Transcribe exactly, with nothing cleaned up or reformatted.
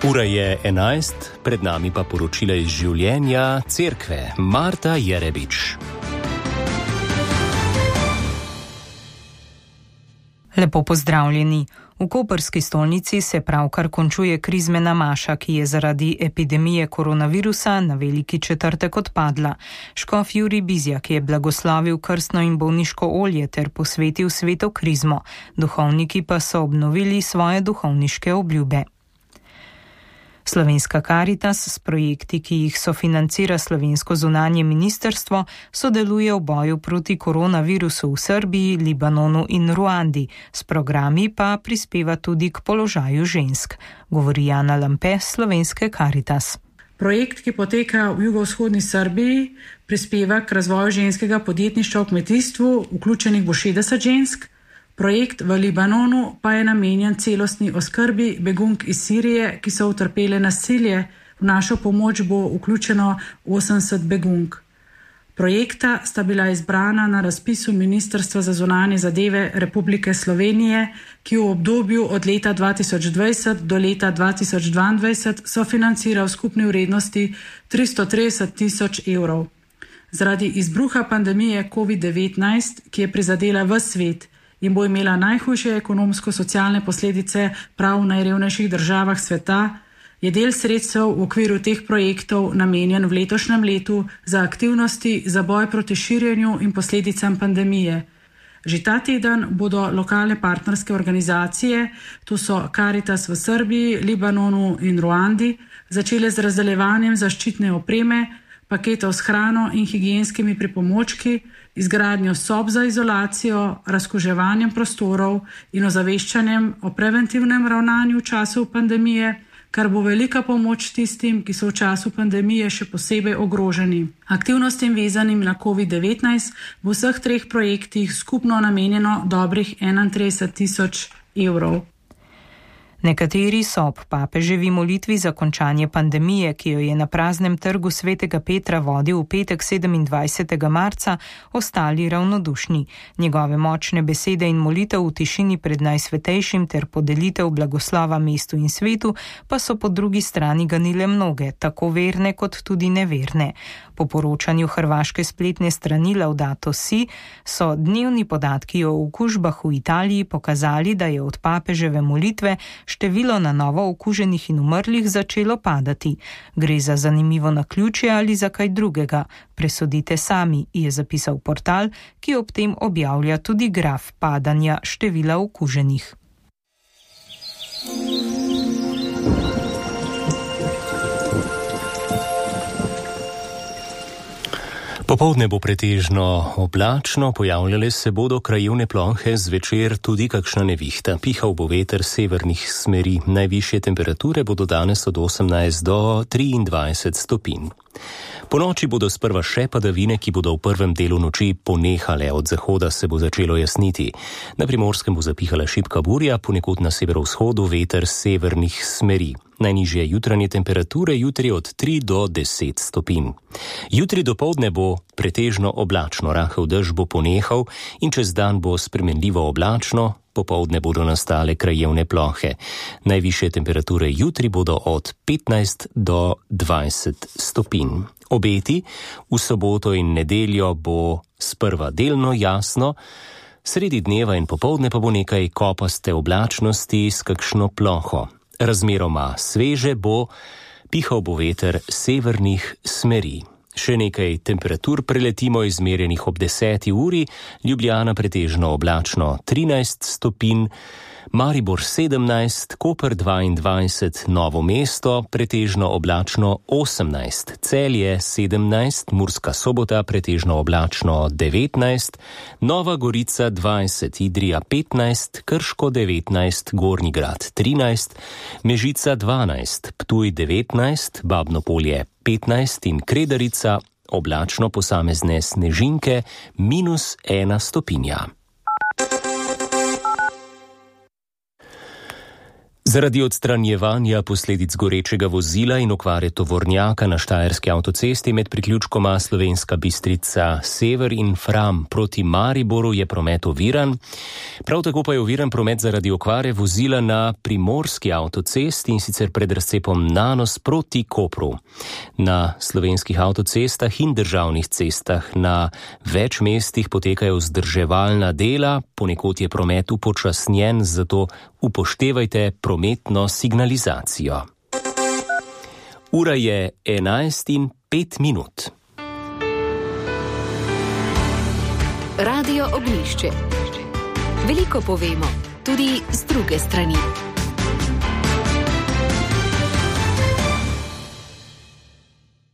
Ura je enajst, pred nami pa poročila iz življenja cerkve. Marta Jerebič. Lepo pozdravljeni. V koprski stolnici se pravkar končuje krizmena maša, ki je zaradi epidemije koronavirusa na veliki četrtek odpadla. Škof Jurij Bizjak je blagoslavil krstno in bolniško olje ter posvetil sveto krizmo. Duhovniki pa so obnovili svoje duhovniške obljube. Slovenska Karitas s projekti, ki jih sofinancira slovensko zunanje ministrstvo, sodeluje v boju proti koronavirusu v Srbiji, Libanonu in Ruandi. S programi pa prispeva tudi k položaju žensk, govori Jana Lampe Slovenske Karitas. Projekt, ki poteka v jugovzhodni Srbiji, prispeva k razvoju ženskega podjetništva v kmetijstvu, vključenih bo šestdeset žensk. Projekt v Libanonu pa je namenjen celostni oskrbi begunk iz Sirije, ki so utrpele nasilje. V našo pomoč bo vključeno osemdeset begunk. Projekta sta bila izbrana na razpisu Ministrstva za zunanje zadeve Republike Slovenije, ki v obdobju od leta dva tisoč dvajset do leta dva tisoč dvaindvajset sofinancira v skupni vrednosti tristo trideset tisoč evrov. Zaradi izbruha pandemije covid devetnajst, ki je prizadela ves svet in bo imela najhujše ekonomsko-socialne posledice prav v najrevnejših državah sveta, je del sredstev v okviru teh projektov namenjen v letošnjem letu za aktivnosti za boj proti širjenju in posledicam pandemije. Že ta teden bodo lokalne partnerske organizacije, to so Karitas v Srbiji, Libanonu in Ruandi, začele z razdeljevanjem zaščitne opreme, paketov s hrano in higienskimi pripomočki, izgradnjo sob za izolacijo, razkuževanjem prostorov in ozaveščanjem o preventivnem ravnanju v času pandemije, kar bo velika pomoč tistim, ki so v času pandemije še posebej ogroženi. Aktivnostim vezanim na covid devetnajst v vseh treh projektih skupno namenjeno dobrih enaintrideset tisoč evrov. Nekateri so ob papeževi molitvi za končanje pandemije, ki jo je na praznem trgu svetega Petra vodil v petek sedemindvajsetega marca, ostali ravnodušni. Njegove močne besede in molitev v tišini pred najsvetejšim ter podelitev blagoslova mestu in svetu pa so po drugi strani ganile mnoge, tako verne kot tudi neverne. Po poročanju hrvaške spletne strani Laudato Si so dnevni podatki o okužbah v Italiji pokazali, da je od papeževe molitve število na novo okuženih in umrlih začelo padati. Gre za zanimivo naključje ali za kaj drugega? Presodite sami, je zapisal portal, ki ob tem objavlja tudi graf padanja števila okuženih. Popoldne bo pretežno oblačno, pojavljale se bodo krajevne plohe, zvečer tudi kakšna nevihta. Pihal bo veter severnih smeri. Najvišje temperature bodo danes od osemnajst do triindvajset stopinj. Po noči bodo sprva še padavine, ki bodo v prvem delu noči ponehale, od zahoda se bo začelo jasniti. Na Primorskem bo zapihala šibka burja, ponekod na severovzhodu veter severnih smeri. Najnižje jutranje temperature jutri od tri do deset stopinj. Jutri dopoldne bo pretežno oblačno, rahel dež bo ponehal in čez dan bo spremenljivo oblačno, popoldne bodo nastale krajevne plohe. Najvišje temperature jutri bodo od petnajst do dvajset stopinj. Obeti v soboto in nedeljo bo sprva delno jasno, sredi dneva in popoldne pa bo nekaj kopaste oblačnosti s kakšno ploho. Razmeroma sveže bo, pihal bo veter severnih smeri. Še nekaj temperatur preletimo izmerjenih ob deseti uri, Ljubljana pretežno oblačno trinajst stopinj, Maribor sedemnajst, Koper dvaindvajset, Novo mesto pretežno oblačno osemnajst, Celje sedemnajst, Murska Sobota pretežno oblačno devetnajst, Nova Gorica dvajset, Idrija petnajst, Krško devetnajst, Gornji Grad trinajst, Mežica dvanajst, Ptuj devetnajst, Babno Polje petnajst in Kredarica oblačno, posamezne snežinke minus ena stopinja. Zaradi odstranjevanja posledic gorečega vozila in okvare tovornjaka na štajerski avtocesti med priključkoma Slovenska Bistrica Sever in Fram proti Mariboru je promet oviran. Prav tako pa je oviran promet zaradi okvare vozila na primorski avtocesti in sicer pred razcepom Nanos proti Kopru. Na slovenskih avtocestah in državnih cestah na več mestih potekajo vzdrževalna dela, ponekod je promet upočasnjen, zato upoštevajte prometno signalizacijo. Ura je enajst in pet minut. Radio Ognjišče. Veliko povemo, tudi z druge strani.